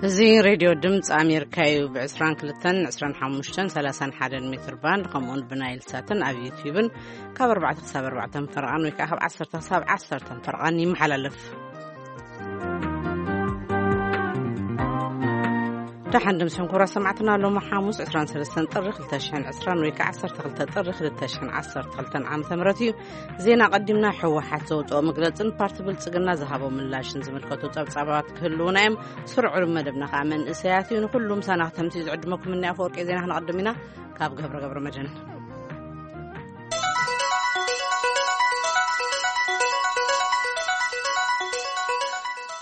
እዚ ሬድዮ ድምፂ ኣሜሪካ እዩ። ብ22፣ 25፣ 31 ሜትር ባንድ፣ ከምኡውን ብናይል ሳትን ኣብ ዩትዩብን ካብ ኣርባዕተ ክሳብ ኣርባዕተ ፈረቓን ወይ ከዓ ካብ ዓሰርተ ክሳብ ዓሰርተ ፈረቓን ይመሓላለፍ። ደሓን ድምፂ ሕንኩራ ሰማዕትና፣ ሎሚ ሓሙስ 23 ጥሪ 2020 ወይ ከዓ 12 ጥሪ 2012 ዓመተ ምህረት እዩ። ዜና ቀዲምና። ህወሓት ዘውፅኦ መግለፅን ፓርቲ ብልፅግና ዝሃቦ ምላሽን ዝምልከቱ ፀብፃባት ክህልውና እዮም። ስሩዕ መደብና ከዓ መንእሰያት እዩ። ንኩሉ ምሳና ክተምስዩ ዝዕድመኩም እኒ ኣፈወርቂ ዜና ክነቐድም ኢና። ካብ ገብረ ገብረ መድህን።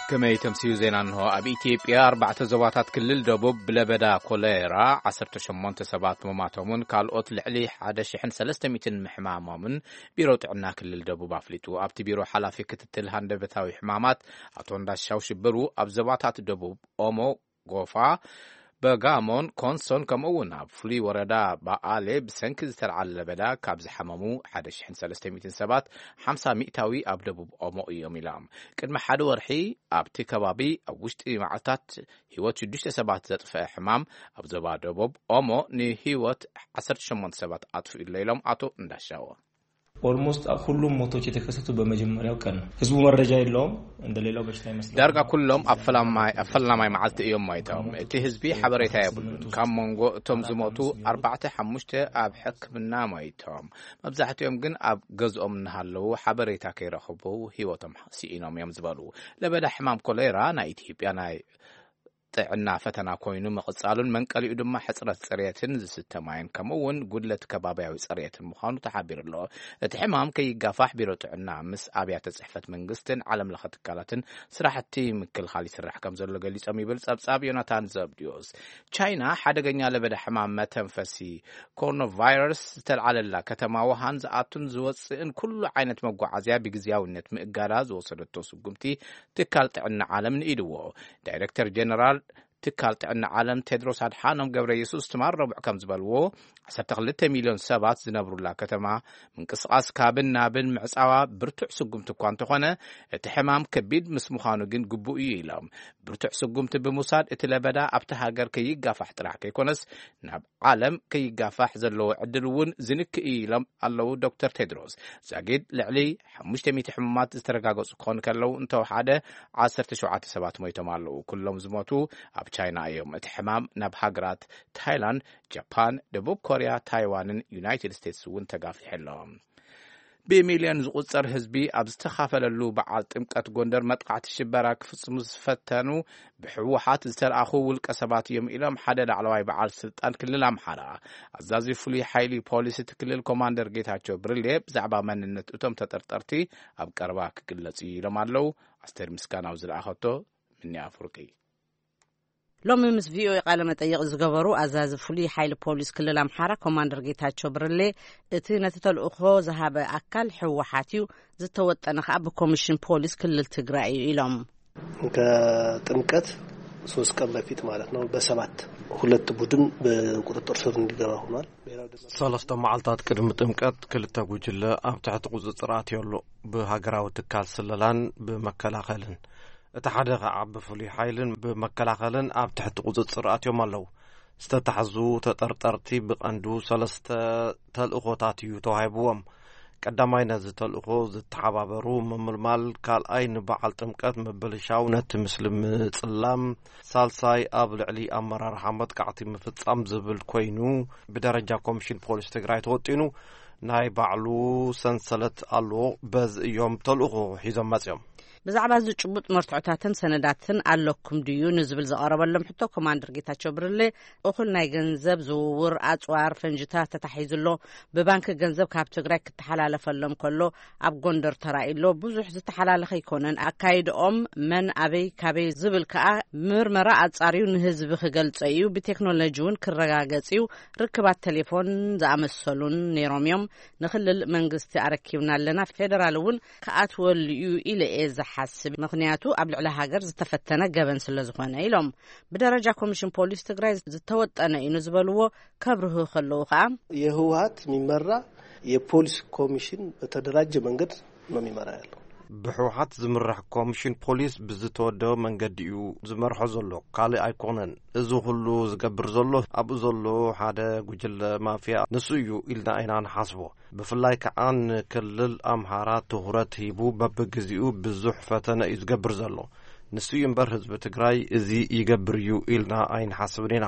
ከመይ ተምስዩ ዜና እንሆ። ኣብ ኢትዮጵያ ኣርባዕተ ዞባታት ክልል ደቡብ ብለበዳ ኮሌራ 18 ሰባት ምማቶምን ካልኦት ልዕሊ 1,300 ምሕማሞምን ቢሮ ጥዕና ክልል ደቡብ ኣፍሊጡ። ኣብቲ ቢሮ ሓላፊ ክትትል ሃንደበታዊ ሕማማት ኣቶ እንዳሻው ሽብሩ፣ ኣብ ዞባታት ደቡብ ኦሞ፣ ጎፋ፣ በጋሞን ኮንሶን፣ ከምኡ እውን ኣብ ፍሉይ ወረዳ በኣሌ ብሰንኪ ዝተልዓለ ለበዳ ካብ ዝሓመሙ 1,300 ሰባት 50 ሚእታዊ ኣብ ደቡብ ኦሞ እዮም ኢሎም። ቅድሚ ሓደ ወርሒ ኣብቲ ከባቢ ኣብ ውሽጢ መዓልታት ህይወት ሽዱሽተ ሰባት ዘጥፈአ ሕማም ኣብ ዞባ ደቡብ ኦሞ ንህይወት 18 ሰባት ኣጥፍኡ ኣሎ ኢሎም ኣቶ እንዳሻዎ። ኦልሞስት ሁሉም ሞቶች የተከሰቱ በመጀመሪያው ቀን ነው። ህዝቡ መረጃ የለውም። እንደሌላው በሽታ ይመስላል። ዳርጋ ኩሎም ኣብ ፈላማይ ኣብ ፈላማይ መዓልቲ እዮም ሞይቶም። እቲ ህዝቢ ሓበሬታ የብሉን። ካብ መንጎ እቶም ዝሞቱ ኣርባዕተ ሓሙሽተ ኣብ ሕክምና ሞይቶም። መብዛሕትኦም ግን ኣብ ገዝኦም እናሃለዉ ሓበሬታ ከይረኽቡ ህይወቶም ስኢኖም እዮም ዝበሉ። ለበዳ ሕማም ኮሌራ ናይ ኢትዮጵያ ናይ ጥዕና ፈተና ኮይኑ ምቕጻሉን መንቀሊኡ ድማ ሕጽረት ጽሬትን ዝስተ ማይን ከምኡ እውን ጉድለት ከባብያዊ ጽሬትን ምዃኑ ተሓቢሩ ኣሎ። እቲ ሕማም ከይጋፋሕ ቢሮ ጥዕና ምስ ኣብያተ ጽሕፈት መንግስትን ዓለም ለኸ ትካላትን ስራሕቲ ምክልኻል ይስራሕ ከም ዘሎ ገሊጾም ይብል ጸብጻብ ዮናታን ዘብድዮስ። ቻይና ሓደገኛ ለበዳ ሕማም መተንፈሲ ኮሮናቫይረስ ዝተልዓለላ ከተማ ውሃን ዝኣቱን ዝወፅእን ኩሉ ዓይነት መጓዓዝያ ብግዝያውነት ምእጋዳ ዝወሰደቶ ስጉምቲ ትካል ጥዕና ዓለም ንኢድዎ። ዳይሬክተር ጀነራል ትካል ጥዕና ዓለም ቴድሮስ ኣድሓኖም ገብረ የሱስ ትማል ረቡዕ ከም ዝበልዎ፣ 12 ሚልዮን ሰባት ዝነብሩላ ከተማ ምንቅስቓስ ካብን ናብን ምዕፃዋ ብርቱዕ ስጉምቲ እኳ እንተኾነ፣ እቲ ሕማም ከቢድ ምስ ምዃኑ ግን ግቡእ እዩ ኢሎም። ብርቱዕ ስጉምቲ ብምውሳድ እቲ ለበዳ ኣብቲ ሃገር ከይጋፋሕ ጥራሕ ከይኮነስ ናብ ዓለም ከይጋፋሕ ዘለዎ ዕድል እውን ዝንክእ እዩ ኢሎም ኣለዉ ዶክተር ቴድሮስ። ዛጊድ ልዕሊ ሓሙሽተ ሚእቲ ሕሙማት ዝተረጋገጹ ክኾኑ ከለዉ፣ እንተወሓደ ዓሰርተ ሸውዓተ ሰባት ሞይቶም ኣለዉ። ኩሎም ዝሞቱ ኣብ ቻይና እዮም። እቲ ሕማም ናብ ሃገራት ታይላንድ፣ ጃፓን፣ ደቡብ ኮርያ፣ ታይዋንን ዩናይትድ ስቴትስ እውን ተጋፊሑ ኣሎ። ብሚልዮን ዝቑጸር ህዝቢ ኣብ ዝተኻፈለሉ በዓል ጥምቀት ጎንደር መጥቃዕቲ ሽበራ ክፍጽሙ ዝፈተኑ ብህወሓት ዝተለኣኹ ውልቀ ሰባት እዮም ኢሎም ሓደ ላዕለዋይ በዓል ስልጣን ክልል ኣምሓራ። ኣዛዚ ፍሉይ ሓይሊ ፖሊስ እቲ ክልል ኮማንደር ጌታቸው ብርሌ ብዛዕባ መንነት እቶም ተጠርጠርቲ ኣብ ቀረባ ክግለጽ እዩ ኢሎም ኣለዉ። ኣስቴር ምስጋናው ዝለኣኸቶ ምኒ ኣፍርቂ። ሎሚ ምስ ቪኦኤ ቃለ መጠይቕ ዝገበሩ ኣዛዚ ፍሉይ ሓይሊ ፖሊስ ክልል ኣምሓራ ኮማንደር ጌታቸው ብርሌ፣ እቲ ነቲ ተልእኾ ዝሃበ ኣካል ህወሓት እዩ፣ ዝተወጠነ ከኣ ብኮሚሽን ፖሊስ ክልል ትግራይ እዩ ኢሎም። ከጥምቀት ሶስት ቀን በፊት ማለት ነው በሰባት ሁለት ቡድን በቁጥጥር ስር እንዲገባ ሆኗል። ሰለስተ መዓልታት ቅድሚ ጥምቀት ክልተ ጉጅለ ኣብ ትሕቲ ቁፅፅር ኣትዮ ኣሎ። ብሃገራዊ ትካል ስለላን ብመከላኸልን፣ እቲ ሓደ ከዓ ብፍሉይ ሓይልን ብመከላኸልን ኣብ ትሕቲ ቁፅፅር ኣትዮም ኣለዉ። ዝተታሕዙ ተጠርጠርቲ ብቐንዱ ሰለስተ ተልእኾታት እዩ ተዋሂብዎም። ቀዳማይ ነዚ ተልእኾ ዝተሓባበሩ ምምልማል፣ ካልኣይ ንበዓል ጥምቀት ምብልሻው፣ ነቲ ምስሊ ምጽላም፣ ሳልሳይ ኣብ ልዕሊ ኣመራርሓ መጥቃዕቲ ምፍጻም ዝብል ኮይኑ፣ ብደረጃ ኮሚሽን ፖሊስ ትግራይ ተወጢኑ ናይ ባዕሉ ሰንሰለት ኣለዎ። በዚ እዮም ተልእኾ ሒዞም መጺኦም። ብዛዕባ እዚ ጭቡጥ መርትዖታትን ሰነዳትን ኣለኩም ድዩ ንዝብል ዝቐረበሎም ሕቶ፣ ኮማንደር ጌታቸው ብርሌ፣ እኹል ናይ ገንዘብ ዝውውር፣ ኣጽዋር፣ ፈንጅታት ተታሒዙ ኣሎ። ብባንክ ገንዘብ ካብ ትግራይ ክተሓላለፈሎም ከሎ ኣብ ጎንደር ተራእዩ ኣሎ። ብዙሕ ዝተሓላለኸ ኣይኮነን። ኣካይድኦም መን ኣበይ ካበይ ዝብል ከኣ ምርመራ ኣጻርዩ ንህዝቢ ክገልጾ እዩ። ብቴክኖሎጂ እውን ክረጋገጽ እዩ። ርክባት ቴሌፎን ዝኣመሰሉን ነይሮም እዮም። ንክልል መንግስቲ ኣረኪብና ኣለና። ፌደራል እውን ክኣትወሉ እዩ ኢለ እየ ዝሓስብ። ምኽንያቱ ኣብ ልዕሊ ሃገር ዝተፈተነ ገበን ስለ ዝኾነ ኢሎም። ብደረጃ ኮሚሽን ፖሊስ ትግራይ ዝተወጠነ እዩ ንዝበልዎ ከብርህ ከለዉ ከኣ የህወሓት የሚመራ የፖሊስ ኮሚሽን በተደራጀ መንገድ ነው የሚመራ ያለው። ብህወሓት ዝምራሕ ኮሚሽን ፖሊስ ብዝተወደበ መንገዲ እዩ ዝመርሖ ዘሎ፣ ካልእ ኣይኮነን። እዚ ኩሉ ዝገብር ዘሎ ኣብኡ ዘሎ ሓደ ጉጅለ ማፍያ ንሱ እዩ ኢልና ኢና ንሓስቦ። ብፍላይ ከዓ ንክልል ኣምሓራ ትኹረት ሂቡ በብግዚኡ ብዙሕ ፈተነ እዩ ዝገብር ዘሎ። ንሱ እዩ እምበር ህዝቢ ትግራይ እዚ ይገብር እዩ ኢልና ኣይንሓስብን ኢና።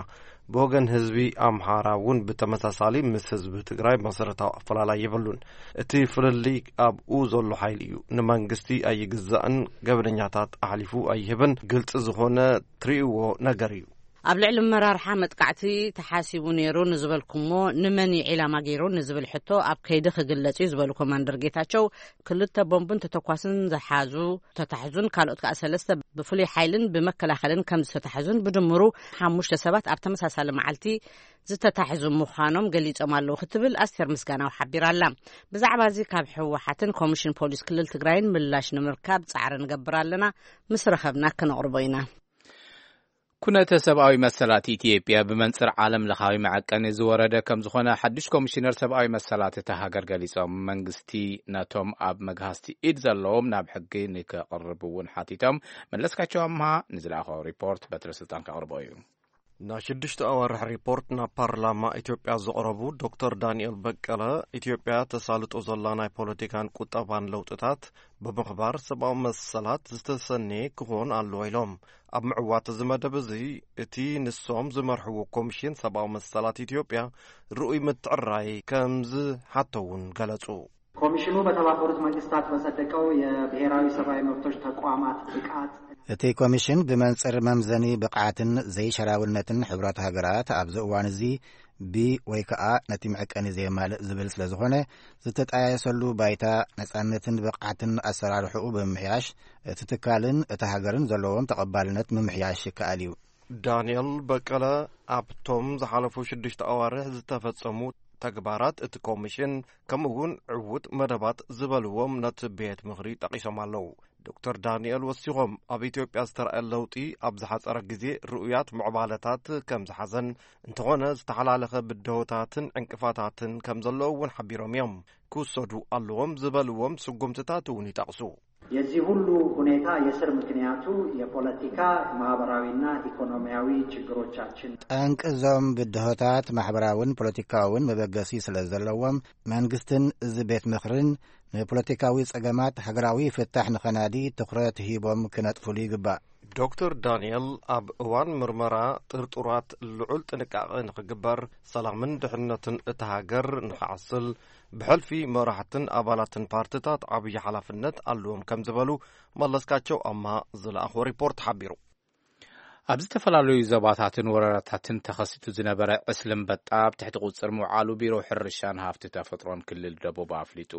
ብወገን ህዝቢ ኣምሓራ እውን ብተመሳሳሊ ምስ ህዝቢ ትግራይ መሰረታዊ ኣፈላላይ የብሉን። እቲ ፍልልይ ኣብኡ ዘሎ ሓይሊ እዩ። ንመንግስቲ ኣይግዛእን፣ ገበነኛታት ኣሕሊፉ ኣይህብን። ግልፂ ዝኾነ ትርእይዎ ነገር እዩ። ኣብ ልዕሊ መራርሓ መጥቃዕቲ ተሓሲቡ ነይሩ ንዝበልኩሞ ንመን እዩ ዒላማ ገይሩ ንዝብል ሕቶ ኣብ ከይዲ ክግለጽ እዩ ዝበሉ ኮማንደር ጌታቸው፣ ክልተ ቦምብን ተተኳስን ዝሓዙ ተታሕዙን ካልኦት ከኣ ሰለስተ ብፍሉይ ሓይልን ብመከላኸልን ከም ዝተታሕዙን ብድምሩ ሓሙሽተ ሰባት ኣብ ተመሳሳሊ መዓልቲ ዝተታሕዙ ምዃኖም ገሊጾም ኣለዉ ክትብል ኣስቴር ምስጋናው ሓቢራ ኣላ። ብዛዕባ እዚ ካብ ህወሓትን ኮሚሽን ፖሊስ ክልል ትግራይን ምላሽ ንምርካብ ጻዕሪ ንገብር ኣለና። ምስ ረኸብና ክነቕርቦ ኢና። ኩነተ ሰብኣዊ መሰላት ኢትዮጵያ ብመንጽር ዓለም ለኻዊ መዐቀኒ ዝወረደ ከም ዝኾነ ሓድሽ ኮሚሽነር ሰብኣዊ መሰላት እታ ሃገር ገሊጾም። መንግስቲ ነቶም ኣብ መግሃስቲ ኢድ ዘለዎም ናብ ሕጊ ንከቕርብ እውን ሓቲቶም። መለስካቸው ኣምሃ ንዝለኣኾ ሪፖርት በትረ ስልጣን ከቕርቦ እዩ። ናይ ሽዱሽተ ኣዋርሕ ሪፖርት ናብ ፓርላማ ኢትዮጵያ ዘቕረቡ ዶክተር ዳንኤል በቀለ፣ ኢትዮጵያ ተሳልጦ ዘላ ናይ ፖለቲካን ቁጠባን ለውጥታት ብምኽባር ሰብኣዊ መሰላት ዝተሰነየ ክኾን ኣለዎ ኢሎም። ኣብ ምዕዋት እዚ መደብ እዚ እቲ ንሶም ዝመርሕዎ ኮሚሽን ሰብኣዊ መሰላት ኢትዮጵያ ርኡይ ምትዕራይ ከም ዝሓቶ እውን ገለጹ። ኮሚሽኑ በተባበሩት መንግስታት በጸደቀው የብሔራዊ ሰብአዊ መብቶች ተቋማት ብቃት እቲ ኮሚሽን ብመንጽር መምዘኒ ብቕዓትን ዘይሸራውነትን ሕብራት ሃገራት ኣብዚ እዋን እዚ ብ ወይ ከኣ ነቲ መዐቀኒ ዘየማልእ ዝብል ስለ ዝኾነ፣ ዝተጣየሰሉ ባይታ ነጻነትን ብቕዓትን ኣሰራርሕኡ ብምምሕያሽ እቲ ትካልን እታ ሃገርን ዘለዎም ተቐባልነት ምምሕያሽ ይከኣል እዩ። ዳንኤል በቀለ ኣብቶም ዝሓለፉ ሽዱሽተ ኣዋርሕ ዝተፈጸሙ ተግባራት እቲ ኮሚሽን፣ ከምኡ እውን ዕዉት መደባት ዝበልዎም ነቲ ቤት ምኽሪ ጠቒሶም ኣለዉ። ዶክተር ዳንኤል ወሲኾም፣ ኣብ ኢትዮጵያ ዝተረኣየ ለውጢ ኣብ ዝሓጸረ ግዜ ርኡያት ምዕባለታት ከም ዝሓዘን፣ እንተኾነ ዝተሓላለኸ ብድሆታትን ዕንቅፋታትን ከም ዘለዉ እውን ሓቢሮም እዮም። ክውሰዱ ኣለዎም ዝበልዎም ስጉምትታት እውን ይጠቕሱ። የዚህ ሁሉ ሁኔታ የስር ምክንያቱ የፖለቲካ፣ ማህበራዊና ኢኮኖሚያዊ ችግሮቻችን። ጠንቂ እዞም ብድሆታት ማሕበራውን ፖለቲካውን መበገሲ ስለ ዘለዎም፣ መንግስትን እዚ ቤት ምኽርን ንፖለቲካዊ ጸገማት ሃገራዊ ፍታሕ ንኸናዲ ትኹረት ሂቦም ክነጥፍሉ ይግባእ። ዶክተር ዳንኤል ኣብ እዋን ምርመራ ጥርጡራት ልዑል ጥንቃቐ ንኽግበር፣ ሰላምን ድሕነትን እታ ሃገር ንኽዓስል ብሕልፊ መራሕትን ኣባላትን ፓርትታት ዓብዪ ሓላፍነት ኣለዎም ከም ዝበሉ መለስካቸው ኣማ ዝለኣኾ ሪፖርት ሓቢሩ። ኣብ ዝተፈላለዩ ዞባታትን ወረዳታትን ተኸሲቱ ዝነበረ ዕስለ ኣንበጣ ኣብ ትሕቲ ቁጽር ምውዓሉ ቢሮ ሕርሻን ሃፍቲ ተፈጥሮን ክልል ደቡብ ኣፍሊጡ።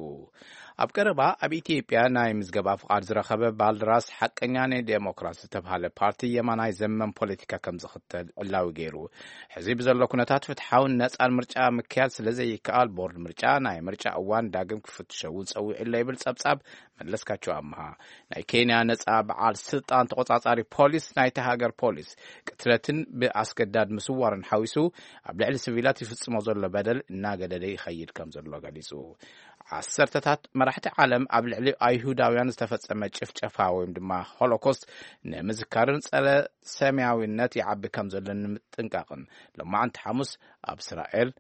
ኣብ ቀረባ ኣብ ኢትዮጵያ ናይ ምዝገባ ፍቓድ ዝረኸበ ባልደራስ ሓቀኛ ናይ ዴሞክራሲ ዝተባሃለ ፓርቲ የማናይ ዘመን ፖለቲካ ከም ዝኽተል ዕላዊ ገይሩ። ሕዚ ብዘሎ ኩነታት ፍትሓውን ነጻን ምርጫ ምክያድ ስለ ዘይከኣል ቦርድ ምርጫ ናይ ምርጫ እዋን ዳግም ክፍትሸ እውን ጸዊዑ ኣሎ ይብል ጸብጻብ መለስካቸው ኣምሃ። ናይ ኬንያ ነጻ በዓል ስልጣን ተቆጻጻሪ ፖሊስ ናይቲ ሃገር ፖሊስ ቅትለትን ብኣስገዳድ ምስዋርን ሓዊሱ ኣብ ልዕሊ ሲቪላት ይፍጽሞ ዘሎ በደል እናገደደ ይኸይድ ከም ዘሎ ገሊጹ። ዓሰርተታት መራሕቲ ዓለም ኣብ ልዕሊ ኣይሁዳውያን ዝተፈጸመ ጭፍጨፋ ወይም ድማ ሆሎኮስት ንምዝካርን ጸረ ሰማያዊነት ይዓቢ ከም ዘሎ ንምጥንቃቕን ሎማዓንቲ ሓሙስ ኣብ እስራኤል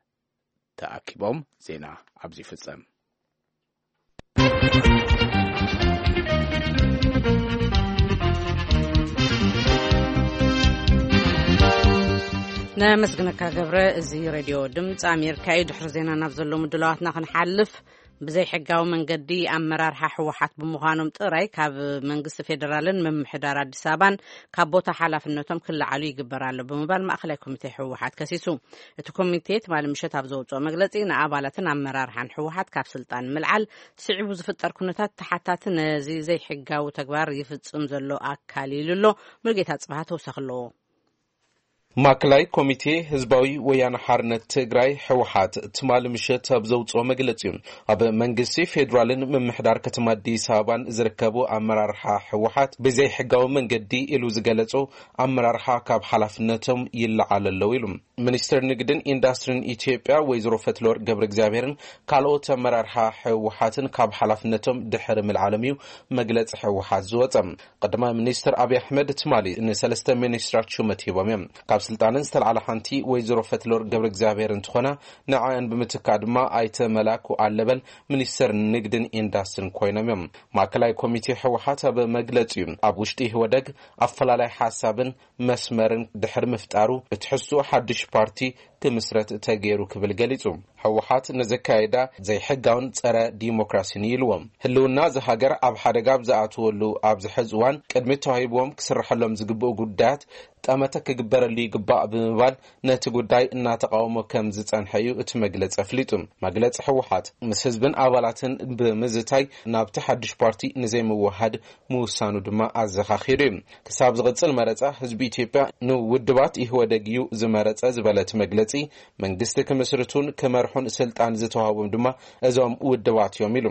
ተኣኪቦም። ዜና ኣብዚ ይፍጸም። ነመስግነካ ገብረ። እዚ ሬድዮ ድምፂ ኣሜሪካ እዩ። ድሕሪ ዜና ናብ ዘሎ ምድላዋትና ክንሓልፍ፣ ብዘይሕጋዊ መንገዲ ኣመራርሓ ህወሓት ብምዃኖም ጥራይ ካብ መንግስቲ ፌደራልን ምምሕዳር ኣዲስ ኣበባን ካብ ቦታ ሓላፍነቶም ክለዓሉ ይግበር ኣሎ ብምባል ማእኸላይ ኮሚቴ ህወሓት ከሲሱ። እቲ ኮሚቴ ትማሊ ምሸት ኣብ ዘውፅኦ መግለፂ፣ ንኣባላትን ኣመራርሓን ህወሓት ካብ ስልጣን ምልዓል ስዒቡ ዝፍጠር ኩነታት ተሓታቲ ነዚ ዘይሕጋዊ ተግባር ይፍፅም ዘሎ ኣካል ኢሉ ኣሎ። ሙሉጌታ ጽባህ ተወሳኺ ኣለዎ። ማእከላይ ኮሚቴ ህዝባዊ ወያነ ሓርነት ትግራይ፣ ህወሓት፣ ትማሊ ምሸት ኣብ ዘውፅኦ መግለፂ፣ ኣብ መንግስቲ ፌዴራልን ምምሕዳር ከተማ ኣዲስ ኣበባን ዝርከቡ ኣመራርሓ ህወሓት ብዘይሕጋዊ መንገዲ ኢሉ ዝገለጾ ኣመራርሓ ካብ ሓላፍነቶም ይለዓል ኣለዉ ኢሉ። ሚኒስትር ንግድን ኢንዱስትሪን ኢትዮጵያ ወይዘሮ ፈትለወርቅ ገብረ እግዚኣብሔርን ካልኦት ኣመራርሓ ህወሓትን ካብ ሓላፍነቶም ድሕሪ ምልዓሎም እዩ መግለጺ ህወሓት ዝወጸ። ቀዳማይ ሚኒስትር ኣብይ ኣሕመድ ትማሊ ንሰለስተ ሚኒስትራት ሹመት ሂቦም እዮም። ካብ ስልጣነን ዝተላዕላ ሓንቲ ወይዘሮ ፈትለወርቅ ገብረ እግዚኣብሔር እንትኾና፣ ንዓኣን ብምትካእ ድማ ኣይተ መላኩ ኣለበል ሚኒስትር ንግድን ኢንዱስትሪን ኮይኖም እዮም። ማእከላይ ኮሚቴ ህወሓት ኣብ መግለጺኡ፣ ኣብ ውሽጢ ኢህወደግ ኣፈላላይ ሓሳብን መስመርን ድሕሪ ምፍጣሩ፣ ብትሕዝትኡ ሓድሽ ፓርቲ ክምስረት ተገይሩ ክብል ገሊጹ። ህወሓት ንዘካየዳ ዘይሕጋውን ጸረ ዲሞክራሲን እዩ ኢልዎም። ህልውና እዚ ሃገር ኣብ ሓደጋ ኣብ ዝኣትወሉ ኣብዚ ሕዚ እዋን፣ ቅድሚት ተዋሂብዎም ክስርሐሎም ዝግብኡ ጉዳያት ጠመተ ክግበረሉ ይግባእ ብምባል፣ ነቲ ጉዳይ እናተቃወሞ ከም ዝጸንሐ እዩ እቲ መግለጺ ኣፍሊጡ። መግለጺ ህወሓት፣ ምስ ህዝብን ኣባላትን ብምዝታይ ናብቲ ሓድሽ ፓርቲ ንዘይምውሃድ ምውሳኑ ድማ ኣዘኻኺሩ እዩ። ክሳብ ዝቕጽል መረጻ፣ ህዝቢ ኢትዮጵያ ንውድባት ኢህወደግ እዩ ዝመረጸ ዝበለ እቲ መግለጺ፣ መንግስቲ ክምስርቱን ክመርሑን ስልጣን ዝተዋህቦም ድማ እዞም ውድባት እዮም ኢሉ።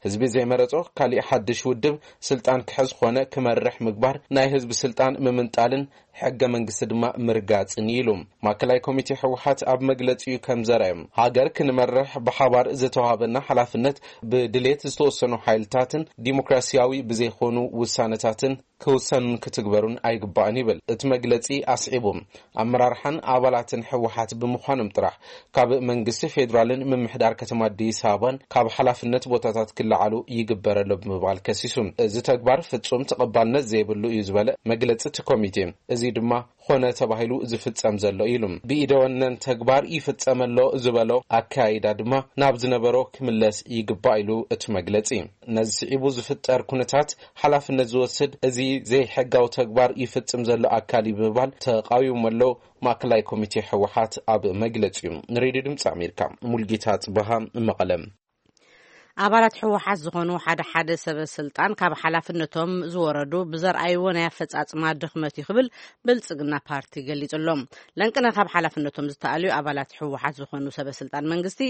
ህዝቢ ዘይመረጾ ካሊእ ሓድሽ ውድብ ስልጣን ክሕዝ ኾነ ክመርሕ ምግባር፣ ናይ ህዝቢ ስልጣን ምምንጣልን ሕገ መንግስቲ ድማ ምርጋጽን እዩ ኢሉ። ማእከላይ ኮሚቴ ህወሓት ኣብ መግለጺኡ ከም ዘርኣዮም፣ ሃገር ክንመርሕ ብሓባር ዝተዋህበና ሓላፍነት፣ ብድሌት ዝተወሰኑ ሓይልታትን ዲሞክራሲያዊ ብዘይኮኑ ውሳነታትን ክውሰኑን ክትግበሩን ኣይግባእን ይብል እቲ መግለጺ ኣስዒቡ። ኣመራርሓን ኣባላትን ህወሓት ብምዃኖም ጥራሕ፣ ካብ መንግስቲ ፌዴራልን ምምሕዳር ከተማ ኣዲስ ኣበባን ካብ ሓላፍነት ቦታታት ክለዓሉ ይግበር ኣሎ ብምባል ከሲሱ። እዚ ተግባር ፍጹም ተቐባልነት ዘይብሉ እዩ ዝበለ መግለጺ እቲ ኮሚቴ፣ እዚ ድማ ኾነ ተባሂሉ ዝፍጸም ዘሎ ኢሉ። ብኢደወነን ተግባር ይፍጸም ኣሎ ዝበሎ ኣካይዳ ድማ ናብ ዝነበሮ ክምለስ ይግባእ ኢሉ እቲ መግለጺ። ነዚ ስዒቡ ዝፍጠር ኩነታት ሓላፍነት ዝወስድ፣ እዚ ዘይሕጋዊ ተግባር ይፍጽም ዘሎ ኣካል እዩ ብምባል ተቓዊሞም ኣሎ ማእከላይ ኮሚቴ ህወሓት ኣብ መግለጺኡ። ንሬድዮ ድምፂ ኣሜሪካ፣ ሙልጌታ ጽበሃ፣ መቐለ። ኣባላት ህወሓት ዝኾኑ ሓደ ሓደ ሰበ ስልጣን ካብ ሓላፍነቶም ዝወረዱ ብዘርኣይዎ ናይ ኣፈጻጽማ ድኽመት እዩ ክብል ብልጽግና ፓርቲ ገሊጹ ኣሎ። ለንቅነ ካብ ሓላፍነቶም ዝተኣልዩ ኣባላት ህወሓት ዝኾኑ ሰበ ስልጣን መንግስቲ፣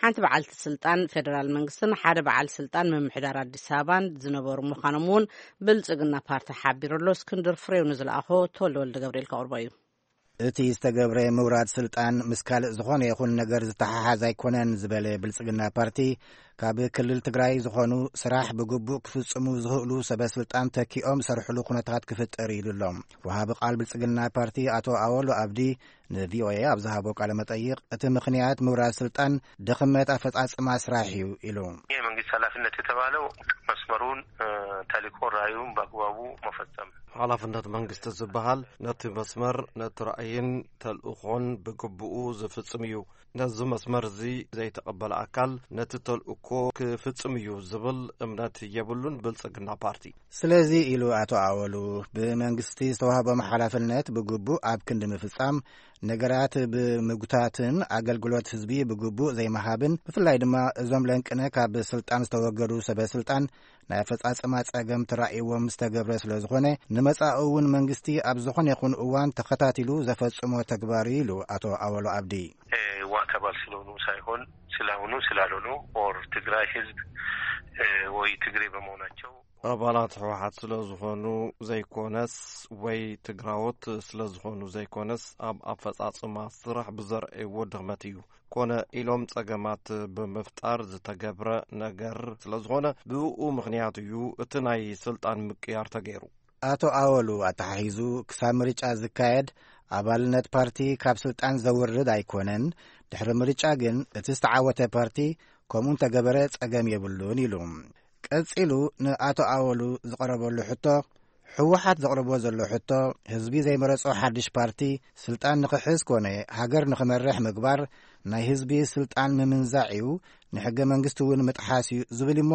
ሓንቲ በዓልቲ ስልጣን ፌደራል መንግስትን ሓደ በዓል ስልጣን ምምሕዳር ኣዲስ ኣበባን ዝነበሩ ምዃኖም እውን ብልጽግና ፓርቲ ሓቢሩ ኣሎ። እስክንድር ፍሬው ንዝለኣኾ ተወልደ ወልደ ገብርኤል ከቕርቦ እዩ። እቲ ዝተገብረ ምውራድ ስልጣን ምስ ካልእ ዝኾነ ይኹን ነገር ዝተሓሓዝ ኣይኮነን ዝበለ ብልጽግና ፓርቲ፣ ካብ ክልል ትግራይ ዝኾኑ ስራሕ ብግቡእ ክፍጽሙ ዝኽእሉ ሰበ ስልጣን ተኪኦም ሰርሕሉ ኩነታት ክፍጠር ኢሉ ኣሎ። ወሃቢ ቃል ብልጽግና ፓርቲ ኣቶ ኣወሉ ኣብዲ ንቪኦኤ ኣብ ዝሃቦ ቃለ መጠይቕ፣ እቲ ምኽንያት ምውራድ ስልጣን ድኽመት ኣፈጻጽማ ስራሕ እዩ ኢሉ። የመንግስት ኃላፊነት የተባለው መስመሩን፣ እ፣ ተልእኮ ራእዩን በአግባቡ መፈጸም። ሓላፍነት መንግስቲ ዝበሃል ነቲ መስመር፣ ነቲ ራእይን ተልእኾን ብግብኡ ዝፍጽም እዩ። ነዚ መስመር እዚ ዘይተቐበለ ኣካል ነቲ ተልእኮ ክፍጽም እዩ ዝብል እምነት የብሉን ብልጽግና ፓርቲ። ስለዚ ኢሉ ኣቶ ኣወሉ፣ ብመንግስቲ ዝተዋህቦም ሓላፍነት ብግቡእ ኣብ ክንዲ ምፍጻም፣ ነገራት ብምጉታትን ኣገልግሎት ህዝቢ ብግቡእ ዘይምሃብን፣ ብፍላይ ድማ እዞም ለንቅነ ካብ ስልጣን ዝተወገዱ ሰበ ስልጣን ናይ ኣፈጻጽማ ጸገም ተራእይዎም ዝተገብረ ስለ ዝኾነ፣ ንመጻኢ እውን መንግስቲ ኣብ ዝኾነ ይኹን እዋን ተኸታቲሉ ዘፈጽሞ ተግባር እዩ ኢሉ ኣቶ ኣወሉ ኣብዲ። እ፣ ዋዕታ ባል ስለሆኑ ሳይሆን ስላሆኑ ስላልሆኑ ኦር ትግራይ ህዝብ፣ እ፣ ወይ ትግሬ በመሆናቸው። ኣባላት ህወሓት ስለ ዝኾኑ ዘይኮነስ ወይ ትግራዎት ስለ ዝኾኑ ዘይኮነስ ኣብ ኣፈጻጽማ ስራሕ ብዘርእይዎ ድኽመት እዩ። ኮነ ኢሎም ጸገማት ብምፍጣር ዝተገብረ ነገር ስለ ዝኾነ ብኡ ምኽንያት እዩ እቲ ናይ ስልጣን ምቅያር ተገይሩ። ኣቶ ኣወሉ ኣተሓሒዙ፣ ክሳብ ምርጫ ዝካየድ ኣባልነት ፓርቲ ካብ ስልጣን ዘውርድ ኣይኮነን። ድሕሪ ምርጫ ግን እቲ ዝተዓወተ ፓርቲ ከምኡ እንተገበረ ጸገም የብሉን ኢሉ። ቀጺሉ ንኣቶ ኣወሉ ዝቐረበሉ ሕቶ፣ ህወሓት ዘቕርቦ ዘሎ ሕቶ፣ ህዝቢ ዘይመረጾ ሓድሽ ፓርቲ ስልጣን ንኽሕዝ ኮነ ሃገር ንኽመርሕ ምግባር ናይ ህዝቢ ስልጣን ምምንዛዕ እዩ፣ ንሕገ መንግስቲ እውን ምጥሓስ እዩ ዝብል እሞ፣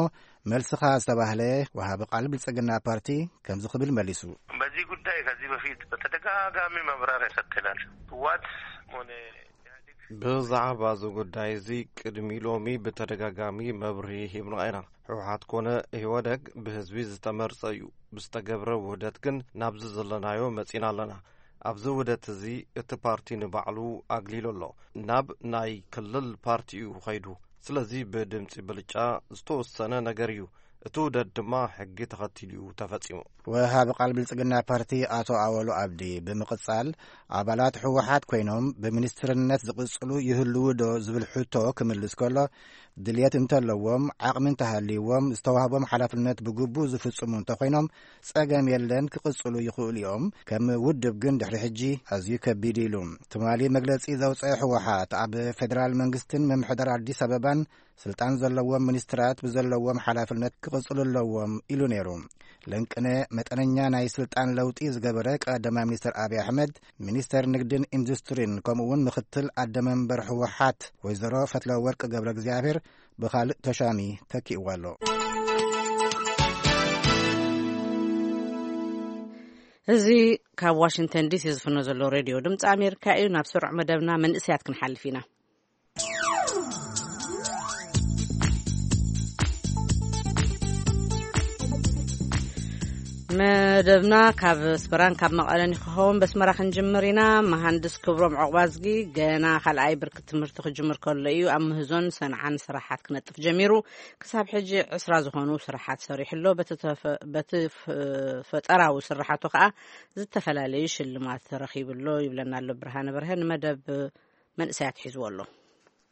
መልስኻ ዝተባህለ ወሃቢ ቃል ብልጽግና ፓርቲ ከምዚ ክብል መሊሱ። በዚህ ጉዳይ ከዚህ በፊት በተደጋጋሚ ማብራሪያ ሰጥተናል። ህወሓት ሆነ ኢህአዴግ። ብዛዕባ እዚ ጉዳይ እዚ ቅድሚ ሎሚ ብተደጋጋሚ መብርሂ ሂብና ኢና። ህወሓት ኮነ ኢህወደግ ብህዝቢ ዝተመርጸ እዩ። ብዝተገብረ ውህደት ግን ናብዚ ዘለናዮ መጺና ኣለና። ኣብዚ ውህደት እዚ እቲ ፓርቲ ንባዕሉ ኣግሊሉ ኣሎ። ናብ ናይ ክልል ፓርቲ እዩ ኸይዱ። ስለዚ ብድምፂ ብልጫ ዝተወሰነ ነገር እዩ። እቲ ውህደት ድማ ሕጊ ተኸቲሉ እዩ ተፈፂሙ። ወሃቢ ቃል ብልጽግና ፓርቲ ኣቶ ኣወሉ ኣብዲ ብምቕጻል፣ ኣባላት ህወሓት ኮይኖም ብሚኒስትርነት ዝቕጽሉ ይህልዉ ዶ ዝብል ሕቶ ክምልስ ከሎ፣ ድልየት እንተለዎም፣ ዓቕሚ እንተሃልይዎም፣ ዝተዋህቦም ሓላፍነት ብግቡእ ዝፍጽሙ እንተኾይኖም፣ ጸገም የለን፣ ክቕጽሉ ይኽእሉ እዮም። ከም ውድብ ግን ድሕሪ ሕጂ ኣዝዩ ከቢድ ኢሉ። ትማሊ መግለጺ ዘውጸአ ህወሓት፣ ኣብ ፌደራል መንግስትን ምምሕዳር ኣዲስ ኣበባን ስልጣን ዘለዎም ሚኒስትራት ብዘለዎም ሓላፍነት ክቕጽሉ ኣለዎም ኢሉ ነይሩ። ለንቅነ መጠነኛ ናይ ስልጣን ለውጢ ዝገበረ ቀዳማይ ሚኒስትር ኣብይ ኣሕመድ፣ ሚኒስተር ንግድን ኢንዱስትሪን ከምኡ እውን ምኽትል ኣደ መንበር ህወሓት ወይዘሮ ፈትለወርቅ ገብረ እግዚኣብሔር ብኻልእ ተሻሚ ተኪእዋ ኣሎ። እዚ ካብ ዋሽንግተን ዲሲ ዝፍኖ ዘሎ ሬድዮ ድምፂ ኣሜሪካ እዩ። ናብ ስሩዕ መደብና መንእሰያት ክንሓልፍ ኢና። መደብና ካብ ኣስመራን ካብ መቐለን ክኸውን በስመራ ክንጅምር ኢና። መሃንድስ ክብሮም ዑቕባዝጊ ገና ካልኣይ ብርኪ ትምህርቲ ክጅምር ከሎ እዩ ኣብ ምህዞን ሰንዓን ስራሓት ክነጥፍ ጀሚሩ። ክሳብ ሕጂ ዕስራ ዝኾኑ ስራሓት ሰሪሑ ኣሎ። በቲ ተፈ-፣ በቲ ፍ-፣ ፈጠራዊ ስራሓቱ ከዓ ዝተፈላለዩ ሽልማት ተረኺቡ ኣሎ ይብለና ኣሎ ብርሃነ በርሀ። ንመደብ መንእሰያት ሒዝዎ ኣሎ።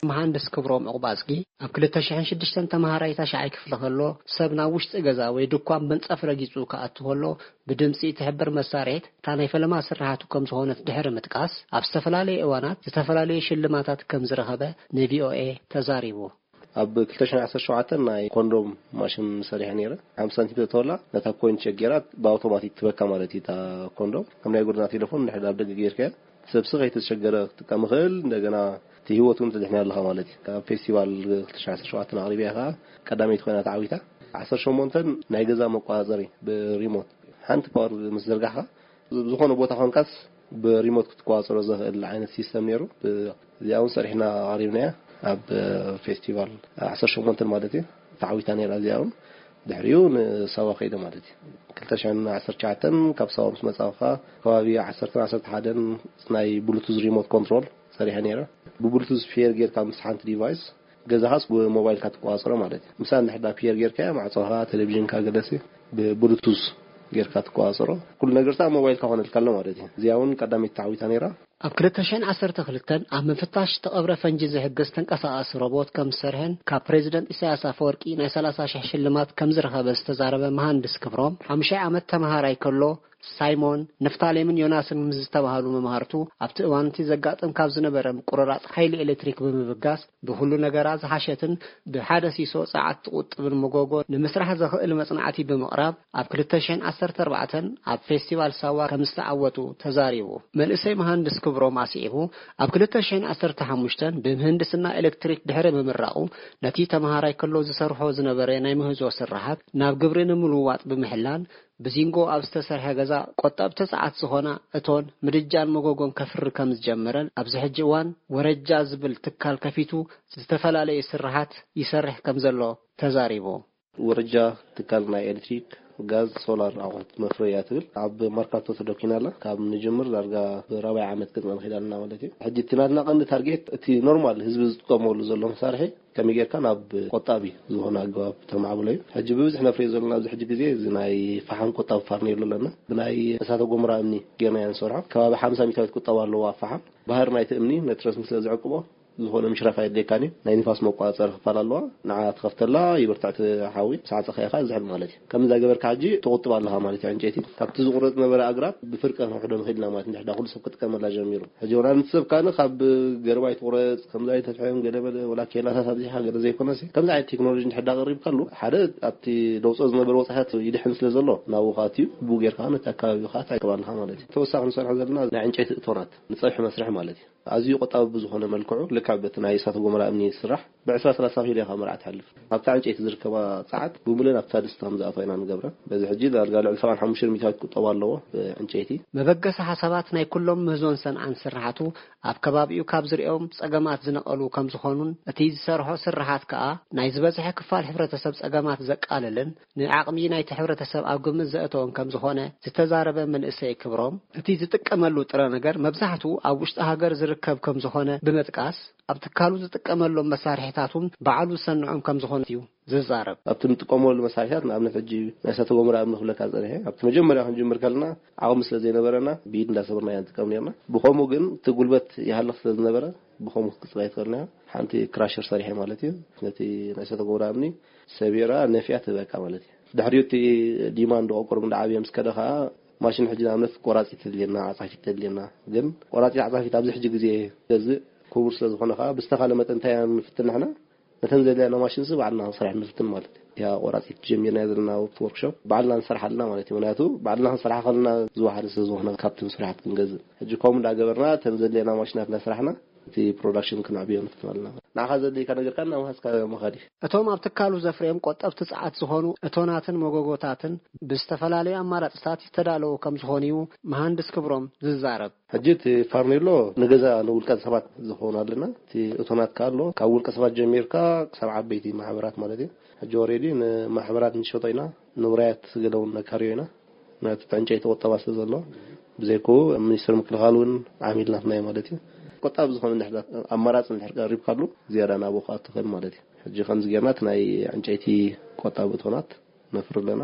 መሃንድስ ክብሮም ዕቑባዝጊ ኣብ ክልተ ሽሕን ሽዱሽተን ተመሃራይ ታሽዓይ ክፍሊ ከሎ፣ ሰብ ናብ ውሽጢ ገዛ ወይ ድኳን መንጸፍ ረጊጹ ክኣቱ ከሎ፣ ብድምጺ እትሕብር መሳርሒት እታ ናይ ፈለማ ስርሓቱ ከም ዝኾነት ድሕሪ ምጥቃስ፣ ኣብ ዝተፈላለዩ እዋናት ዝተፈላለዩ ሽልማታት ከም ዝረኸበ ንቪኦኤ ተዛሪቡ። ኣብ ክልተ ሽሕን ዓሰርተ ሸውዓተን ናይ ኮንዶም ማሽን ሰሪሐ ነይረ። ሓምሳ ሳንቲም ተተወላ ነታ ኮይን ሸጌራ ብኣውቶማቲክ ትበካ ማለት እዩ። እታ ኮንዶም ከም ናይ ጎደና ቴሌፎን እንድሕር ኣብ ደገ ጌርካያ፣ ሰብ ስቕ ከይተሸገረ ክትጥቀም ይኽእል። እንደገና እቲ ህይወት እውን ተድሕን ኣለኻ ማለት እዩ። ኣብ ፌስቲቫል ክልተ ሽሕን ዓሰርተ ሸውዓተን ኣቕሪበያ ከዓ ቀዳመይቲ ኮይና ተዓዊታ። ዓሰርተ ሸሞንተን ናይ ገዛ መቆጻጸሪ ብሪሞት ሓንቲ ፓወር ምስ ዘርጋሕካ፣ ዝኾነ ቦታ ኮንካስ ብሪሞት ክትቆጻጸሮ ዘኽእል ዓይነት ሲስተም ነይሩ። ብ-፣ እዚኣ እውን ሰሪሕና ኣቕሪብናያ ኣብ ፌስቲቫል ዓሰርተ ሸሞንተን ማለት እዩ። ተዓዊታ ነይራ እዚኣ እውን። ድሕሪኡ ንሳዋ ከይደ ማለት እዩ። ክልተ ሽሕን ዓሰርተ ትሽዓተን ካብ ሳዋ ምስ መጻእኻ ከባቢ ዓሰርተ ዓሰርተ ሓደን ናይ ብሉቱዝ ሪሞት ኮንትሮል ሰሪሐ ነይረ። ብብሉቱዝ ፔር ጌርካ ምስ ሓንቲ ዲቫይስ ገዛኻስ ብሞባይልካ ትቆጻጸሮ ማለት እዩ። ምሳሌ እንድሕር ዳ ፒየር ጌርካያ ማዕጾኻ፣ ቴሌቪዥንካ ገለሲ ብብሉቱዝ ጌርካ ትቆጻጸሮ። ኩሉ ነገርታ ኣብ ሞባይልካ ኮነልካ ኣሎ ማለት እዩ። እዚኣ እውን ቀዳመይቲ ተዓዊታ ነይራ። ኣብ ክልተ ሽሕን ዓሰርተ ክልተን ኣብ ምፍታሽ ዝተቐብረ ፈንጂ ዝሕግዝ ተንቀሳቓሲ ሮቦት ከም ዝሰርሐን ካብ ፕሬዚደንት ኢሳያስ ኣፈወርቂ ናይ ሰላሳ ሽሕ ሽልማት ከም ዝረኸበ ዝተዛረበ መሃንድስ ክብሮም፣ ሓሙሻይ ዓመት ተመሃራይ ከሎ ሳይሞን፣ ንፍታሌምን ዮናስን ምስ ዝተባህሉ መማህርቱ፣ ኣብቲ እዋን እቲ ዘጋጥም ካብ ዝነበረ ምቁርራጽ ሓይሊ ኤሌክትሪክ ብምብጋስ፣ ብኹሉ ነገራ ዝሓሸትን ብሓደ ሲሶ ጸዓት ትቑጥብን መጎጎ ንምስራሕ ዘኽእል መጽናዕቲ ብምቕራብ፣ ኣብ ክልተ ሽሕን ዓሰርተ ኣርባዕተን ኣብ ፌስቲቫል ሳዋ ከም ዝተዓወቱ ተዛሪቡ። መንእሰይ መሃንድስ ክብሮም ኣስዒቡ፣ ኣብ ክልተ ሽሕን ዓሰርተ ሓሙሽተን ብምህንድስና ኤሌክትሪክ ድሕሪ ምምራቑ፣ ነቲ ተመሃራይ ከሎ ዝሰርሖ ዝነበረ ናይ ምህዞ ስራሓት ናብ ግብሪ ንምልዋጥ ብምሕላን፣ ብዚንጎ ኣብ ዝተሰርሐ ገዛ ቆጠብቲ ጸዓት ዝኾና እቶን፣ ምድጃን መጎጎን ከፍሪ ከም ዝጀመረን ኣብዚ ሕጂ እዋን ወረጃ ዝብል ትካል ከፊቱ ዝተፈላለዩ ስራሓት ይሰርሕ ከም ዘሎ ተዛሪቡ። ወረጃ ትካል ናይ ኤሌክትሪክ፣ ጋዝ፣ ሶላር ኣቑሑት መፍረያ ትብል ኣብ መርካቶ ተደኪና ኣላ። ካብ ንጅምር ዳርጋ ብራብዓይ ዓመት ገጽና ንኸይድ ኣለና ማለት እዩ። ሕጂ እቲ ናትና ቀንዲ ታርጌት እቲ ኖርማል ህዝቢ ዝጥቀመሉ ዘሎ መሳርሒ ከመይ ጌርካ ናብ ቆጣቢ ዝኾነ ኣገባብ ተማዕብሎ እዩ። ሕጂ ብብዝሒ ነፍርዮ ዘለና ኣብዚ ሕጂ ግዜ እዚ ናይ ፈሓም ቆጣቢ ፋርኔሎ ኣለና። ብናይ እሳተ ጎመራ እምኒ ጌርና ኢና ንሰርሖ። ከባቢ ሓምሳ ሚእታዊት ቁጠባ ኣለዎ ኣብ ፈሓም። ባህሪ ናይቲ እምኒ ነቲ ረስኒ ስለ ዝዕቅቦ ዝኾነ ምሽራፍ ኣየድልየካን እዩ። ናይ ንፋስ መቆጻጸሪ ክፋል ኣለዋ። ንዓ ትኸፍተላ፣ ይብርትዕ እቲ ሓዊ፣ ምስ ዓጸኻዮ ከኣ ዝሕል ማለት እዩ። ከምዚ እንዳገበርካ ሕጂ ትቑጥብ ኣለኻ ማለት እዩ። ዕንጨይቲ ካብቲ ዝቑረጽ ነበረ ኣግራብ ብፍርቂ ከነውሕዶ ንኽእል ኢና ማለት፣ እንድሕር ዳ ኩሉ ሰብ ክጥቀመላ ጀሚሩ። ሕጂ ወላ ነቲ ሰብ ካን ካብ ገረባ ይትቑረጽ፣ ከምዚ ኣይተፍሐን ገለ መለ፣ ወላ ኬላታት ኣብዚሓ ገለ ዘይኮነሲ፣ ከምዚ ዓይነት ቴክኖሎጂ እንድሕር ዳ ቀሪብካሉ፣ ሓደ ኣብቲ ደውጾ ዝነበረ ወጻኢታት ይድሕን ስለ ዘሎ፣ ናብኡ ከኣ ኣትዩ፣ ብኡ ጌርካ ነቲ ኣከባቢ ከኣ ትዕቅብ ኣለኻ ማለት እዩ። ተወሳኺ ንሰርሖ ዘለና ናይ ዕንጨይቲ እቶናት፣ ንጸብሒ መስርሒ ማለት እዩ። ኣዝዩ ቆጣቢ ብዝኾነ መልክዑ፣ ካብ እቲ ናይ እሳተ ጎመራ እምኒ ዝስራሕ ብ20 30 ኪሎ ኢኻ መርዓ ትሓልፍ። ኣብታ ዕንጨይቲ ዝርከባ ጸዓት ብምሉእ ኣብታ ድስቲ ከም ዝኣትዋ ኢና ንገብረን። በዚ ሕጂ ዳርጋ ልዕሊ 75 ሚታዊት ክቁጠባ ኣለዎ ብዕንጨይቲ። መበገሲ ሓሳባት ናይ ኩሎም ምህዞን ሰንዓን ስርሓቱ ኣብ ከባቢኡ ካብ ዝርእዮም ጸገማት ዝነቐሉ ከም ዝኾኑን እቲ ዝሰርሖ ስርሓት ከኣ ናይ ዝበዝሐ ክፋል ሕብረተሰብ ጸገማት ዘቃልልን ንዓቕሚ ናይቲ ሕብረተሰብ ኣብ ግምት ዘእተወን ከም ዝኾነ ዝተዛረበ መንእሰይ ክብሮም፣ እቲ ዝጥቀመሉ ጥረ ነገር መብዛሕትኡ ኣብ ውሽጢ ሃገር ዝርከብ ከም ዝኾነ ብምጥቃስ፣ ኣብ ትካሉ ዝጥቀመሎም መሳርሒታት እውን ባዕሉ ዝሰንዖም ከም ዝኾነ እዩ ዝዛረብ። ኣብቲ ንጥቀመሉ መሳርሒታት፣ ንኣብነት ሕጂ ናይ እሳተ ጎመራ እምኒ ክብለካ ጸኒሐ፣ ኣብቲ መጀመርያ ክንጅምር ከለና ዓቕሚ ስለ ዘይነበረና ብኢድ እንዳሰበርና ኢና ንጥቀም ነርና። ብኸምኡ ግን እቲ ጉልበት ይሃልኽ ስለ ዝነበረ ብኸምኡ ክትቅጽል ኣይትኽእልን እያ። ሓንቲ ክራሸር ሰሪሐ ማለት እዩ። ነቲ ናይ እሳተ ጎመራ እምኒ ሰቢራ ነፊያ ትህበካ ማለት እዩ። ድሕሪኡ እቲ ዲማንድ ቆቆር እንዳዓብየ ምስ ከደ ኸዓ ማሽን ሕጂ ንኣብነት ቆራጺት ተድልየና፣ ዓጻፊት ተድልየና። ግን ቆራጺት ዓጻፊት ኣብዚ ሕጂ ግዜ ገዝእ ክቡር ስለ ዝኾነ ኸዓ ብዝተኻለ መጠን እንታይ ኢና ንፍትን ንሕና ነተን ዘድልያና ማሽን ሲ ባዕልና ክንሰርሕ ንፍትን ማለት እዩ። እቲኣ ቆራጺት ጀሚርና ዘለና ወርክሾፕ ባዕልና ንሰርሓ ኣለና ማለት እዩ። ምክንያቱ ባዕልና ክንሰርሓ ከለና ዝወሓደ ስለ ዝኾነ ካብቲ ስራሓት ክንገዝእ። ሕጂ ከምኡ እንዳገበርና እተን ዘድልየና ማሽናት እንዳሰራሕና እቲ ፕሮዳክሽን ክነዕብዮ ንፍትን ኣለና። ንዓኻ ዘድልየካ ነገር ከኣ እናወሃዝካ ምኻድ እዩ። እቶም ኣብ ትካሉ ዘፍርዮም ቆጠብቲ ጸዓት ዝኾኑ እቶናትን መጎጎታትን ብዝተፈላለዩ ኣማራጽታት ዝተዳለዉ ከም ዝኾኑ እዩ መሃንድስ ክብሮም ዝዛረብ። ሕጂ እቲ ፋርኔሎ ንገዛ ንውልቀ ሰባት ዝኸውን ኣለና። እቲ እቶናት ከኣ ኣሎ፣ ካብ ውልቀ ሰባት ጀሚርካ ክሳብ ዓበይቲ ማሕበራት ማለት እዩ። ሕጂ ኦሬዲ ንማሕበራት ንሸጦ ኢና፣ ንውራያት ገለ እውን ነካርዮ ኢና። ምክንያቱ እቲ ዕንጨይቲ ቁጠባ ስለ ዘሎ፣ ብዘይክኡ ሚኒስትሪ ምክልኻል እውን ዓሚል ናትና እዩ ማለት እዩ። ቆጣቢ ዝኾነ እንድሕር ኣማራፂ እንድሕር ቀሪብካሉ ዝያዳ ናብኡ ክኣቱ ይኽእል ማለት እዩ። ሕጂ ከምዚ ጌርና እቲ ናይ ዕንጨይቲ ቆጣቢ እቶናት ነፍሪ ኣለና።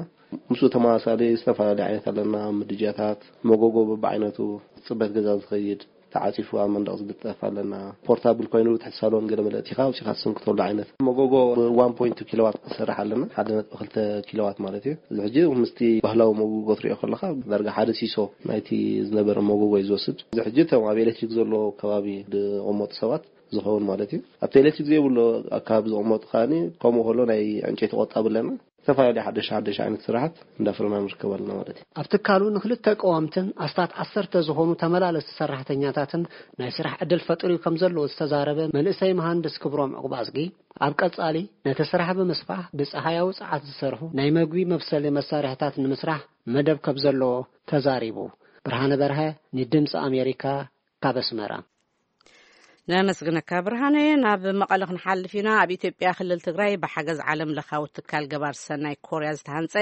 ምስኡ ተመሳሳሊ ዝተፈላለዩ ዓይነት ኣለና፣ ምድጃታት፣ መጎጎ በብዓይነቱ፣ ጽበት ገዛ ዝኸይድ፣ ተዓጺፉ ኣብ መንደቕ ዝልጠፍ ኣለና። ፖርታብል ኮይኑ ትሕቲ ሳሎን ገለ መለ ኣእቲኻ ኣውጺኻ ትስንክተሉ ዓይነት መጎጎ ብ1.2 ኪሎዋት ክሰርሕ ኣለና። 1.2 ኪሎዋት ማለት እዩ። እዚ ሕጂ ምስቲ ባህላዊ መጎጎ ትሪኦ ከለኻ ዳርጋ ሓደ ሲሶ ናይቲ ዝነበረ መጎጎ እዩ ዝወስድ። እዚ ሕጂ እቶም ኣብ ኤሌክትሪክ ዘሎ ከባቢ ዝቕመጡ ሰባት ዝኸውን ማለት እዩ። ኣብቲ ኤሌክትሪክ ዘይብሉ ኣካባቢ ዝቕመጡ ከኣ ከምኡ ከሎ ናይ ዕንጨይቲ ቆጣቢ ኣለና። ዝተፈላለዩ ሓደሽ ሓደሽ ዓይነት ስራሓት እንዳፍረና ንርከብ ኣለና ማለት እዩ። ኣብ ትካሉ ንክልተ ቀዋምትን ኣስታት ዓሰርተ ዝኾኑ ተመላለስቲ ሰራሕተኛታትን ናይ ስራሕ ዕድል ፈጢሩ ከም ዘለዎ ዝተዛረበ መንእሰይ መሃንድስ ክብሮም ዕቑባዝጊ፣ ኣብ ቀጻሊ ነቲ ስራሕ ብምስፋሕ ብጸሃያዊ ጸዓት ዝሰርሑ ናይ መግቢ መብሰሊ መሳርሕታት ንምስራሕ መደብ ከም ዘለዎ ተዛሪቡ። ብርሃነ በርሀ ንድምፂ ኣሜሪካ ካብ ኣስመራ። ነመስግነካ ብርሃነ። ናብ መቐለ ክንሓልፍ ኢና። ኣብ ኢትዮጵያ ክልል ትግራይ ብሓገዝ ዓለም ለኻዊ ትካል ገባር ሰናይ ኮርያ ዝተሃንፀ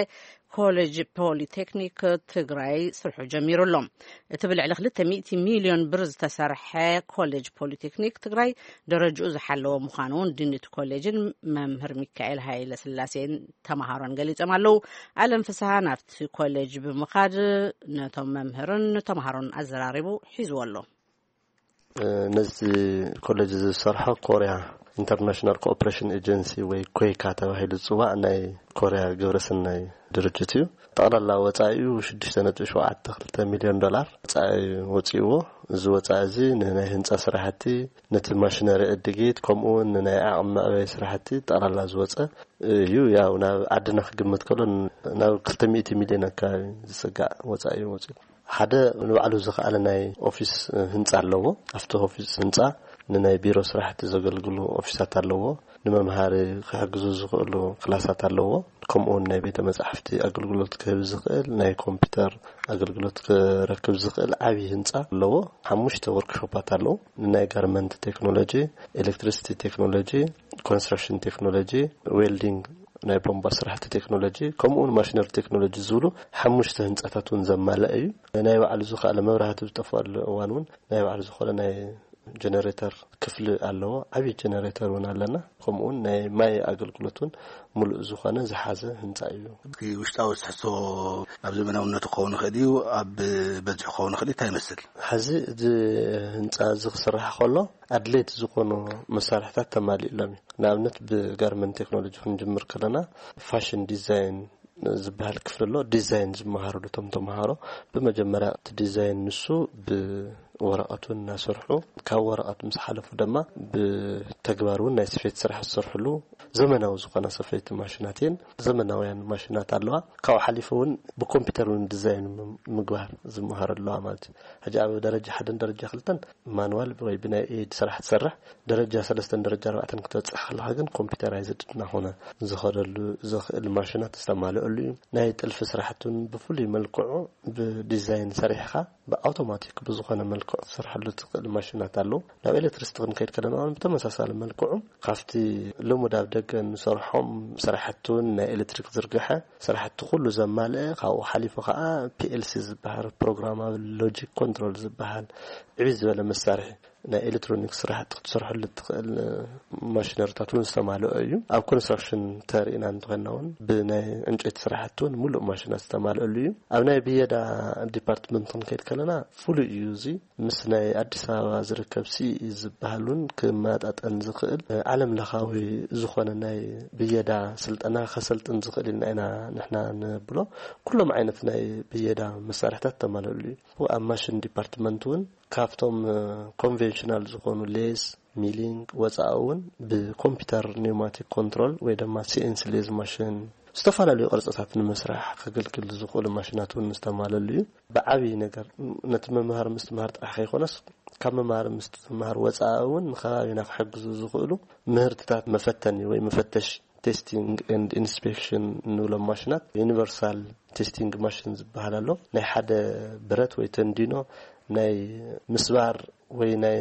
ኮሌጅ ፖሊቴክኒክ ትግራይ ስርሑ ጀሚሩ ኣሎ። እቲ ብልዕሊ 200 ሚሊዮን ብር ዝተሰርሐ ኮሌጅ ፖሊቴክኒክ ትግራይ ደረጃኡ ዝሓለወ ምዃኑ እውን ዲን እቲ ኮሌጅን መምህር ሚካኤል ሃይለ ስላሴን ተምሃሮን ገሊጾም ኣለዉ። ኣለም ፍስሃ ናብቲ ኮሌጅ ብምኻድ ነቶም መምህርን ተምሃሮን ኣዘራሪቡ ሒዝዎ ኣሎ። ነዚ ኮሌጅ ዝሰርሖ ኮርያ ኢንተርናሽናል ኮኦፕሬሽን ኤጀንሲ ወይ ኮይካ ተባሂሉ ዝፅዋዕ ናይ ኮርያ ግብረሰናይ ድርጅት እዩ። ጠቕላላ ወፃኢኡ 6.72 ሚሊዮን ዶላር ወፃኢ ወፂእዎ። እዚ ወፃኢ እዚ ንናይ ህንፃ ስራሕቲ፣ ነቲ ማሽነሪ ዕድጊት፣ ከምኡ እውን ንናይ ዓቕሚ መዕበይ ስራሕቲ ጠቕላላ ዝወፀ እዩ። ያው ናብ ዓድና ክግምት ከሎ ናብ 200 ሚሊዮን ኣካባቢ ዝፅጋዕ ወፃኢ እዩ ወፂኡ። ሓደ ንባዕሉ ዝኸኣለ ናይ ኦፊስ ህንፃ ኣለዎ። ኣብቲ ኦፊስ ህንፃ ንናይ ቢሮ ስራሕቲ ዘገልግሉ ኦፊሳት ኣለዎ። ንመምሃሪ ክሕግዙ ዝኽእሉ ክላሳት ኣለዎ። ከምኡ እውን ናይ ቤተ መጻሕፍቲ ኣገልግሎት ክህብ ዝኽእል፣ ናይ ኮምፒውተር ኣገልግሎት ክረክብ ዝኽእል ዓብዪ ህንፃ ኣለዎ። ሓሙሽተ ወርክሾፓት ኣለዉ። ንናይ ጋርመንት ቴክኖሎጂ፣ ኤሌክትሪሲቲ ቴክኖሎጂ፣ ኮንስትራክሽን ቴክኖሎጂ፣ ዌልዲንግ፣ ናይ ቦምባ ስራሕቲ ቴክኖሎጂ፣ ከምኡ እውን ማሽነሪ ቴክኖሎጂ ዝብሉ ሓሙሽተ ህንፃታት እውን ዘማልአ እዩ። ናይ ባዕሉ ዝኸኣለ መብራህቲ ዝጠፍኣሉ እዋን እውን ናይ ባዕሉ ዝኾነ ናይ ጀነሬተር ክፍሊ ኣለዎ። ዓብዪ ጀነሬተር እውን ኣለና። ከምኡ እውን ናይ ማይ ኣገልግሎት እውን ሙሉእ ዝኾነ ዝሓዘ ህንፃ እዩ። እቲ ውሽጣዊ ትሕዝቶ ኣብ ዘመናውነቱ ክኸውን ይኽእል እዩ፣ ኣብ በዝሑ ክኸውን ይኽእል እዩ። እንታይ ይመስል? ሕዚ እዚ ህንፃ እዚ ክስራሕ ከሎ ኣድለይቲ ዝኾኑ መሳርሕታት ተማሊእሎም እዩ። ንኣብነት ብጋርመንት ቴክኖሎጂ ክንጅምር ከለና ፋሽን ዲዛይን ዝበሃል ክፍሊ ኣሎ። ዲዛይን ዝመሃረሉ እቶም ተምሃሮ ብመጀመርያ እቲ ዲዛይን ንሱ ብ ወረቐት እውን እናሰርሑ፣ ካብ ወረቐት ምስ ሓለፉ ድማ ብተግባር እውን ናይ ስፌት ስራሕ ዝሰርሕሉ ዘመናዊ ዝኾና ሰፈይቲ ማሽናት እየን። ዘመናውያን ማሽናት ኣለዋ። ካብኡ ሓሊፉ እውን ብኮምፒውተር እውን ዲዛይን ም- ምግባር ዝመሃር ኣለዋ ማለት እዩ። ሕጂ ኣብ ደረጃ ሓደን ደረጃ ክልተን ማንዋል ወይ ብናይ ኤድ ስራሕ ትሰርሕ፣ ደረጃ ሰለስተን ደረጃ ኣርባዕተን ክትበፅሕ ከለካ ግን ኮምፒውተራይዝድ እናኾነ ዝኸደሉ ዝኽእል ማሽናት ዝተማልአሉ እዩ። ናይ ጥልፊ ስራሕቲ እውን ብፍሉይ መልክዑ ብዲዛይን ሰሪሕኻ ብኣውቶማቲክ ብዝኾነ መልክዑ ትሰርሐሉ ትኽእል ማሽናት ኣለዉ። ናብ ኤሌክትሪክስ ክንከይድ ከለና እውን ብተመሳሳሊ መልክዑ ካብቲ ልሙድ ኣብ ደገ ንሰርሖም ስራሕቲ እውን ናይ ኤሌክትሪክ ዝርግሐ ስራሕቲ ኩሉ ዘማልአ፣ ካብኡ ሓሊፉ ከዓ ፒኤልሲ ዝበሃል ፕሮግራማብል ሎጂክ ኮንትሮል ዝበሃል ዕብይ ዝበለ መሳርሒ ናይ ኤሌክትሮኒክስ ስራሕቲ ክትሰርሐሉ እትኽእል ማሽነሪታት እውን ዝተማልኦ እዩ። ኣብ ኮንስትራክሽን ተሪእና እንተኾንና እውን ብናይ ዕንጨይቲ ስራሕቲ እውን ሙሉእ ማሽናት ዝተማልአሉ እዩ። ኣብ ናይ ብየዳ ዲፓርትመንት ክንከይድ ከለና ፍሉይ እዩ። እዚ ምስ ናይ ኣዲስ ኣበባ ዝርከብ ሲኢ ዝበሃል እውን ክመጣጠን ዝኽእል ዓለም ለኻዊ ዝኾነ ናይ ብየዳ ስልጠና ከሰልጥን ዝኽእል ኢልና ኢና ንሕና ንብሎ። ኩሎም ዓይነት ናይ ብየዳ መሳርሕታት ተማልእሉ እዩ። ኣብ ማሽን ዲፓርትመንት እውን ካብቶም ኮንቬንሽናል ዝኾኑ ሌስ፣ ሚሊንግ ወፃኢ እውን ብኮምፒውተር ኒውማቲክ ኮንትሮል ወይ ድማ ሲኤንሲ ሌዝ ማሽን ዝተፈላለዩ ቅርፅታት ንምስራሕ ከገልግል ዝኽእሉ ማሽናት እውን ዝተማለሉ እዩ። ብዓብዪ ነገር ነቲ መምሃር ምስትምሃር ጥራሕ ከይኮነስ ካብ መምሃር ምስትምሃር ወፃኢ እውን ንከባቢና ክሕግዙ ዝኽእሉ ምህርትታት መፈተኒ ወይ መፈተሽ ቴስቲንግ ኤንድ ኢንስፔክሽን እንብሎም ማሽናት፣ ዩኒቨርሳል ቴስቲንግ ማሽን ዝበሃል ኣሎ። ናይ ሓደ ብረት ወይ ተንዲኖ ናይ ምስባር ወይ ናይ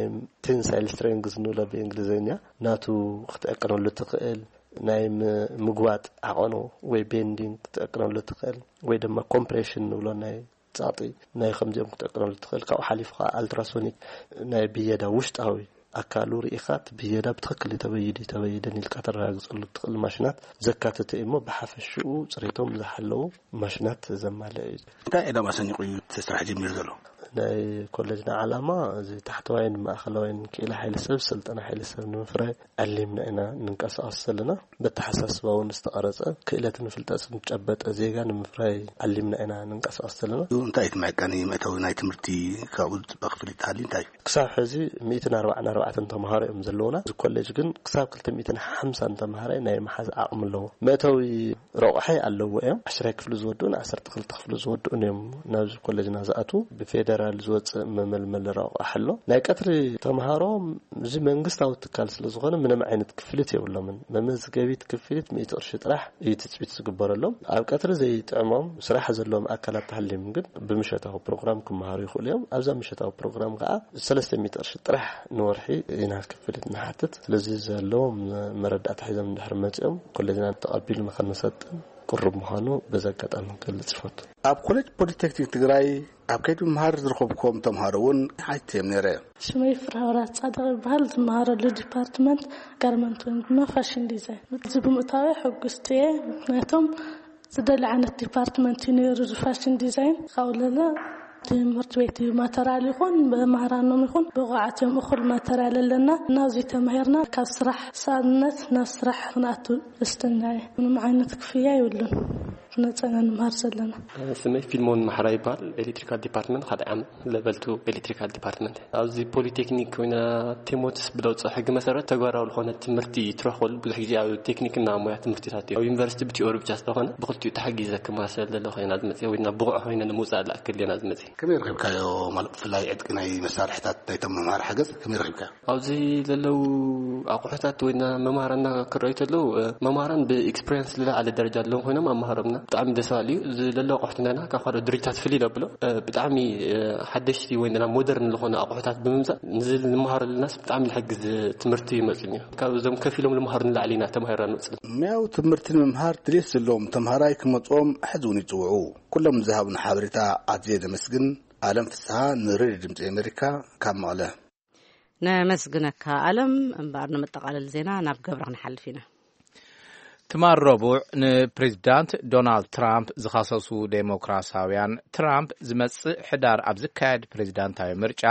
ቴንሳይል ስትሬንግዝ ንብሎ ብእንግሊዝኛ ናቱ ክትዕቅነሉ ትኽእል፣ ናይ ም- ምግዋጥ ዓቐኑ ወይ ቤንዲንግ ክትዕቅነሉ ትኽእል፣ ወይ ድማ ኮምፕሬሽን ንብሎ ናይ ጻጢ ናይ ከምዚኦም ክትዕቅነሉ ትኽእል። ካብኡ ሓሊፉ ከዓ ኣልትራሶኒክ ናይ ብየዳ ውሽጣዊ ኣካሉ ርኢኻ እቲ ብየዳ ብትኽክል ተበይዱ ተበይደን ኢልካ ተረጋግፀሉ ትኽእል ማሽናት ዘካተተ እዩ እሞ ብሓፈሽኡ ፅሬቶም ዝሓለዉ ማሽናት ዘማልአ እዩ። እንታይ ዕላማ ሰኒቑ እዩ እቲ ስራሕ ጀሚሩ ዘሎ? ናይ ኮሌጅና ዓላማ እዚ ታሕተዋይን ማእኸላዋይን ክኢላ ሓይሊ ሰብ፣ ስልጠና ሓይሊ ሰብ ንምፍራይ ዓሊምና ኢና ንንቀሳቐስ ዘለና። በተሓሳስባ እውን ዝተቐረፀ ክእለትን ፍልጠትን ዝጨበጠ ዜጋ ንምፍራይ ዓሊምና ኢና ንንቀሳቐስ ዘለና። እንታይ እቲ መዕቀኒ መእተዊ ናይ ትምህርቲ ካብኡ ዝፅበቕ ክፍሊት ተሃልዩ እንታይ እዩ? ክሳብ ሕዚ ሚእትን ኣርባዓን ኣርባዕተን ተምሃሮ እዮም ዘለውና። እዚ ኮሌጅ ግን ክሳብ ክልተ ሚእትን ሓምሳን ተምሃራይ ናይ መሓዝ ዓቕሚ ኣለዎ። መእተዊ ረቑሒ ኣለዎ እዮም። ዓሽራይ ክፍሊ ዝወድኡን ዓሰርተ ክልተ ክፍሊ ዝወድኡን እዮም ናብዚ ኮሌጅና ዝኣትዉ። ብፌደራል ዝወፅእ መመልመሊ ረቑሒ ኣሎ። ናይ ቀትሪ ተምሃሮ እዚ መንግስታዊ ትካል ስለ ዝኾነ ምንም ዓይነት ክፍሊት የብሎምን። መመዝገቢት ክፍሊት ሚእቲ ቅርሺ ጥራሕ እዩ ትፅቢት ዝግበረሎም። ኣብ ቀትሪ ዘይጥዕሞም ስራሕ ዘለዎም ኣካላት ተሃልዮም ግን ብምሸታዊ ፕሮግራም ክመሃሩ ይኽእሉ እዮም። ኣብዛ ምሸታዊ ፕሮግራም ከዓ ሰለስተ ሚእቲ ቅርሺ ጥራሕ ንወርሒ ኢና ክፍሊት ንሓትት። ስለዚ ዘለዎም መረዳእታ ሒዞም እንድሕር መፂኦም ኮሌጅና ተቐቢሉ ንኸንሰጥን ቅሩብ ምዃኑ በዚ ኣጋጣሚ ክገልጽ ይፈቱ። ኣብ ኮሌጅ ፖሊቴክኒክ ትግራይ ኣብ ከይዲ ምምሃር ዝረኸብኩም ተምሃሮ እውን ሓቲተዮም ነይረ። ሽመይ ፍርሃውራት ጻድቕ ይበሃል። ዝመሃረሉ ዲፓርትመንት ጋርመንት ወይ ድማ ፋሽን ዲዛይን። እዚ ብምእታወይ ሕጉስቲ እየ። ምክንያቱም ዝደሊ ዓይነት ዲፓርትመንት እዩ ነይሩ፣ እዚ ፋሽን ዲዛይን። ካብኡ ለለ ትምህርቲ ቤት እዩ ማተርያል ይኹን ብመሃራኖም ይኹን ብቑዓት እዮም እኹል ማተርያል ኣለና። እናዚ ተማሂርና ካብ ስራሕ ሰኣንነት ናብ ስራሕ ክንኣቱ ደስተኛ እየ። ምንም ዓይነት ክፍያ የብሉን። ነፃ ኢና ንምሃር ዘለና። ስመይ ፊልሞን ማሕራ ይበሃል። ኤሌክትሪካል ዲፓርትመንት ካልኣይ ዓመት ለቨል ቱ ኤሌክትሪካል ዲፓርትመንት። ኣብዚ ፖሊቴክኒክ ኮይና ቴሞትስ ብለውፅኦ ሕጊ መሰረት ተግባራዊ ዝኾነ ትምህርቲ ትረኽበሉ ብዙሕ ግዜ ኣብ ቴክኒክና ሞያ ትምህርትታት እዩ። ኣብ ዩኒቨርሲቲ ብቲኦሪ ብቻ ስለኾነ ብክልቲኡ ተሓጊዘ ክመሃር ስለ ዘለኹ ኢና ዝመፅእ ወይ ናብ ብቑዕ ኮይነ ንምውፃእ ዝኣክል ኢና ዝመፅእ። ከመይ ረኺብካዮ? ማለት ብፍላይ ዕጥቂ ናይ መሳርሕታት ናይቶም መምሃሪ ሓገዝ ከመይ ረኺብካዮ? ኣብዚ ዘለዉ ኣቑሑታት ወይ ና መምሃራንና ክረኣዩ ተለዉ፣ እ፣ መምሃራን ብኤክስፒሪየንስ ዝለዓለ ደረጃ ዘለዎም ኮይኖም ኣመሃሮምና ብጣዕሚ ደስ በሃሊ እዩ። እዚ ዘለዉ ኣቑሑት ናይና ካብ ካልኦት ድርጅታት ፍልይ ዘብሎ፣ እ፣ ብጣዕሚ፣ እ፣ ሓደሽቲ ወይ ና ሞደርን ዝኾነ ኣቑሑታት ብምምፃእ ንዚ ንመሃረሉናስ ብጣዕሚ ዝሕግዝ ትምህርቲ ይመፅን እዩ። ካብ እዞም ከፊሎም ዝመሃሩ ንላዕሊ ኢና ተማሂርና ንወፅእ። ሙያዊ ትምህርቲ ንምምሃር ድሌት ዘለዎም ተምሃራይ ክመፅኦም ሕዚ እውን ይፅውዑ። ኩሎም ዝሃቡና ሓበሬታ ኣዝየ ዘመስግን። ኣለም ፍስሃ ንሬድዮ ድምፂ ኣሜሪካ ካብ መቐለ። ነመስግነካ ኣለም። እምበኣር ንመጠቓለሊ ዜና ናብ ገብረ ክንሓልፍ ኢና። ትማል ረቡዕ ንፕሬዚዳንት ዶናልድ ትራምፕ ዝኸሰሱ ዴሞክራሲያውያን፣ ትራምፕ ዝመጽእ ሕዳር ኣብ ዝካየድ ፕሬዚዳንታዊ ምርጫ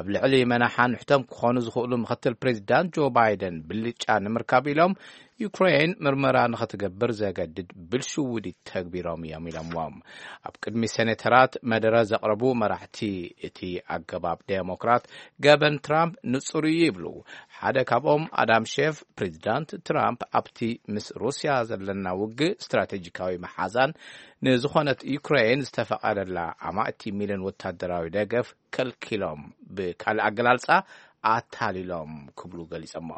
ኣብ ልዕሊ መናሓን ንሕቶም ክኾኑ ዝኽእሉ ምኽትል ፕሬዚዳንት ጆ ባይደን ብልጫ ንምርካብ ኢሎም ዩክሬን ምርመራ ንኽትገብር ዘገድድ ብልሽውዲ ተግቢሮም እዮም ኢሎምዎም። ኣብ ቅድሚ ሴኔተራት መደረ ዘቕረቡ መራሕቲ እቲ ኣገባብ ዴሞክራት ገበን ትራምፕ ንጹር እዩ ይብሉ። ሓደ ካብኦም ኣዳም ሼፍ ፕሬዚዳንት ትራምፕ ኣብቲ ምስ ሩስያ ዘለና ውግእ ስትራቴጂካዊ መሓዛን ንዝኾነት ዩክሬን ዝተፈቐደላ ኣማእቲ ሚልዮን ወታደራዊ ደገፍ ከልኪሎም ብካልእ ኣገላልጻ ኣታሊሎም ክብሉ ገሊጾሞ።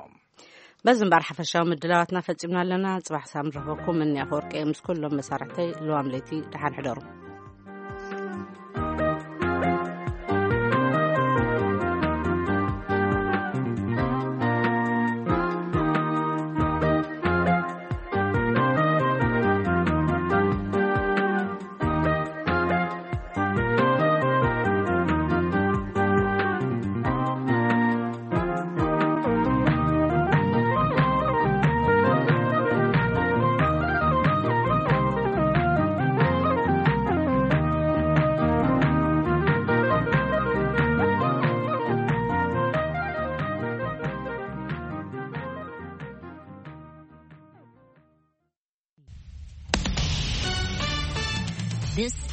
በዚ እምበኣር ሓፈሻዊ ምድላዋትና ፈጺምና ኣለና። ጽባሕ ሳም ረኸብኩም እኒ ኣፈወርቂ ምስ ኩሎም መሳርሕተይ ልዋም ለይቲ ደሓን ሕደሩ። This